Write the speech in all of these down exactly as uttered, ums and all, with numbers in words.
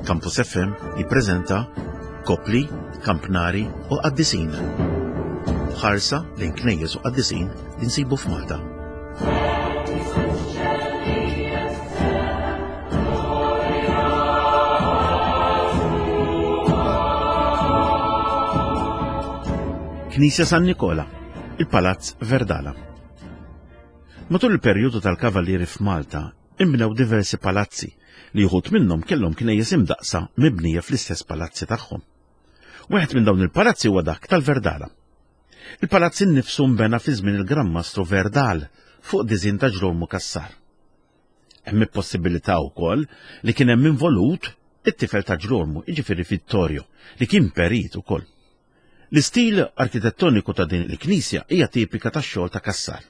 Campus F M jippreżenta Kopli, Kampnari u Qaddisin. Ħarsa lejn knejjes u qaddisin li nsibu f'Malta. Knisja San Nikola, il-Palazz Verdala. Matul il-perjodu tal-Kavallieri f'Malta, imbnew diversi palazzi li wħud minnhom kellhom knejjes imdaqsa mibnija fl-istess palazzi tagħhom. Wieħed minn dawn il-palazzi huwa dak tal-Verdala. Il-palazz innifsu nbena fi żmien il-Gran Mastru Verdal fuq diżin ta' Ġrolmu Cassar. Hemm il-possibilità wkoll li kien hemm involut it-tifel ta' Ġrolmu, jiġifieri Vittorio, li kien perit ukoll. L-istil arkitettoniku ta' din il-knisja hija tipika tax-xogħol ta' Cassar.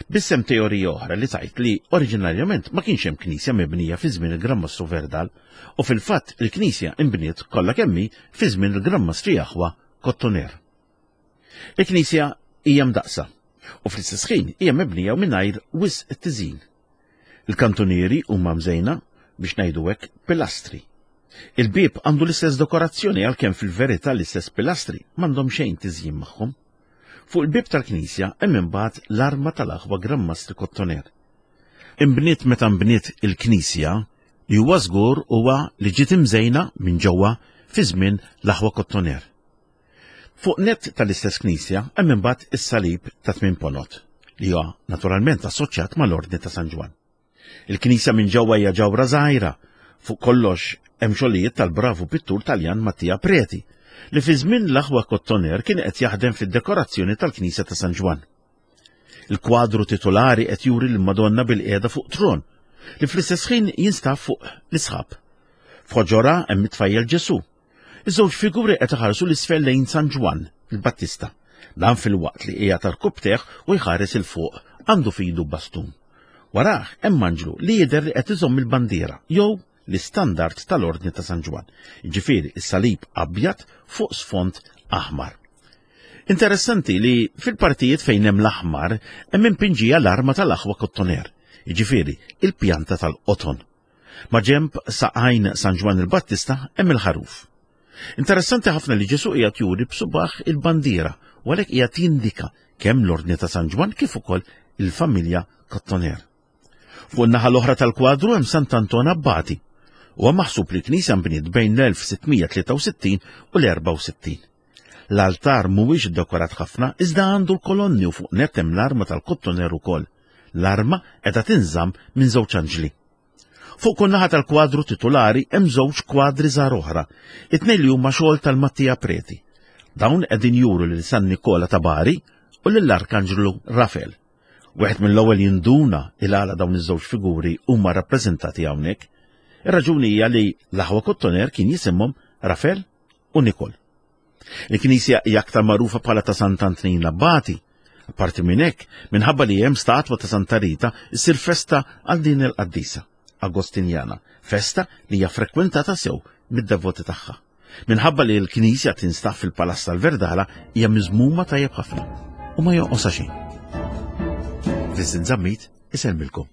Biss hemm teorija oħra li tgħid li oriġinarjament ma kienx hemm knisja mibnija fi żmien il-Gran Mastru Verdal u fil-fatt il-knisja inbniet kollha kemm hi fi żmien il-Gran Mastri Aħwa Kottoner. Il-knisja hija mdaqsa u fl-istess ħin hija mibnija mingħajr wisq tiżin. Il-kantunieri huma mżejna biex ngħidu hekk pilastri. Il-bieb għandu l-istess dekorazzjoni għalkemm fil-verità l-istess pilastri m'għandhom xejn tiżjin magħhom. Fuq il-bieb tal-knisja hemm imbagħad l-arma tal-aħwa Gran Mastri Kottoner. Imbniet meta nbniet il-knisja li huwa żgur huwa li ġiet imżejna minn ġewwa fi żmien l-aħwa Kottoner. Fuq net tal-istess knisja hemm imbagħad is-salib ta' tmien ponot li huwa naturalment assoċjat mal-Ordni ta' San Ġwann. Il-knisja minn ġewwa hija ġawra żgħira, fuq kollox hemm xogħlijiet tal-bravu pittur Taljan Mattia Preti, li fi żmien l-aħwa Kottoner kien qed jaħdem fid-dekorazzjoni tal-Knisja ta' San Ġwann. Il-kwadru titolari qed juri l-Madonna bil-qiegħda fuq tron, li fl-istess ħin jinstab fuq l-isħab. F'ħoġorha hemm it-tfajjel Ġesù. Iż-żewġ figuri qed iħarsu l-isfel lejn San Ġwann, il-Battista. Dan filwaqt li qiegħed għarkupptejh u jħares 'il fuq, għandu f'idu bastun. Warah hemm anġlu li jidher li qed iżomm il-bandiera jew l-istandard tal-Ordni ta' San Ġwann, jiġifieri s-salib abjad fuq sfond aħmar. Interessanti li fil-partijiet fejn hemm l-aħmar hemm impinġija l-arma tal-aħwa Kottoner, jiġifieri il-pjanta tal-qoton. Ma' ġenb saqajn San Ġwann il-Battista hemm il-ħaruf. Interessanti ħafna li Ġesù qiegħed juri b'subaħ il-bandiera u għalhekk qiegħed jindika kemm l-Ordni ta' San Ġwann kif ukoll il-familja Kottoner. Fuq in-naħa l-oħra tal-kwadru hemm Sant'Anton Abbati. Huwa maħsub li l-knisja nbniet bejn l-elf sittmija tlieta u sittin u l-erbgħa u sittin. L-altar mhuwiex iddekorat ħafna iżda għandu l-kolonni u fuq nett hemm l-arma tal-Kottoner ukoll. L-arma qiegħda tinżamm minn żewġ anġli. Fuq kull naħa tal-kwadru titulari hemm żewġ kwadri żgħar oħra, it-tnejn li huma xogħol tal-Mattia Preti. Dawn qegħdin juru lil San Nikola ta' Bari u lill-Arkanġlu Rafel. Wieħed mill-ewwel jinduna il għala dawn iż-żewġ figuri huma rappreżentati hawnhekk. Ir-raġuni hija li l-aħwa Kottoner kien jisimhom Rafel u Nikol. Il-knisja hija aktar magħrufa bħala ta' Sant'Antnin l-Abbati. Apparti minn hekk, minħabba li hemm statwa ta' Santa Rita, issir festa għal din il-qaddisa Agostinjana, festa li hija frekwentata sew mid-devoti tagħha. Minħabba li l-knisja tinstab fil-Palazz tal-Verdala hija miżmuma tajjeb ħafna u ma jonqosha xejn. Vincent Zammit isellmilkom.